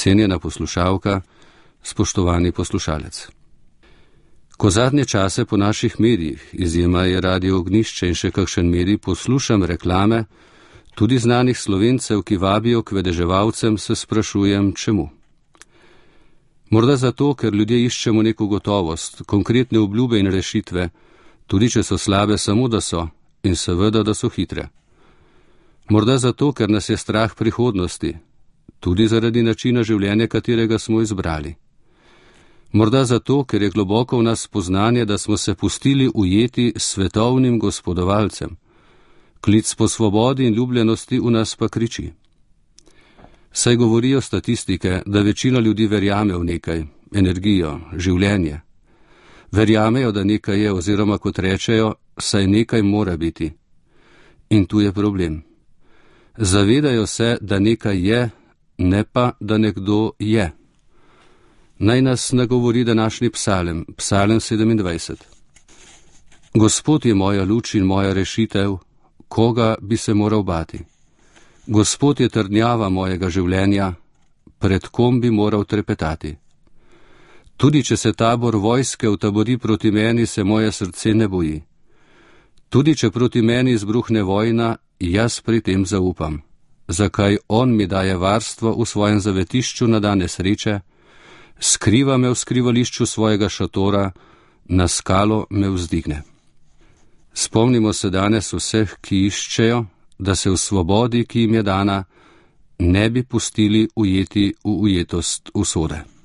Cenjena poslušalka, spoštovani poslušalec. Ko zadnje čase po naših medijih, izjema je Radio Ognjišče in še kakšen medij, poslušam reklame, tudi znanih Slovencev, ki vabijo k vedeževalcem, se sprašujem, čemu. Morda zato, ker ljudje iščemo neko gotovost, konkretne obljube in rešitve, tudi če so slabe, samo da so, in seveda, da so hitre. Morda zato, ker nas je strah prihodnosti, tudi zaradi načina življenja, katerega smo izbrali. Morda zato, ker je globoko v nas spoznanje, da smo se pustili ujeti svetovnim gospodovalcem. Klic po svobodi in ljubljenosti v nas pa kriči. Saj govorijo statistike, da večina ljudi verjame v nekaj, energijo, življenje. Verjamejo, da nekaj je, oziroma kot rečejo, saj nekaj mora biti. In tu je problem. Zavedajo se, da nekaj je, ne pa, da nekdo je. Naj nas nagovori današnji psalem, psalem 27. Gospod je moja luč in moja rešitev, koga bi se moral bati? Gospod je trdnjava mojega življenja, pred kom bi moral trepetati? Tudi če se tabor vojske utabori proti meni, se moje srce ne boji. Tudi če proti meni izbruhne vojna, jaz pri tem zaupam. Zakaj on mi daje varstvo v svojem zavetišču na dane sreče, skriva me v skrivališču svojega šatora, na skalo me vzdigne. Spomnimo se danes vseh, ki iščejo, da se v svobodi, ki jim je dana, ne bi pustili ujeti v ujetost usode.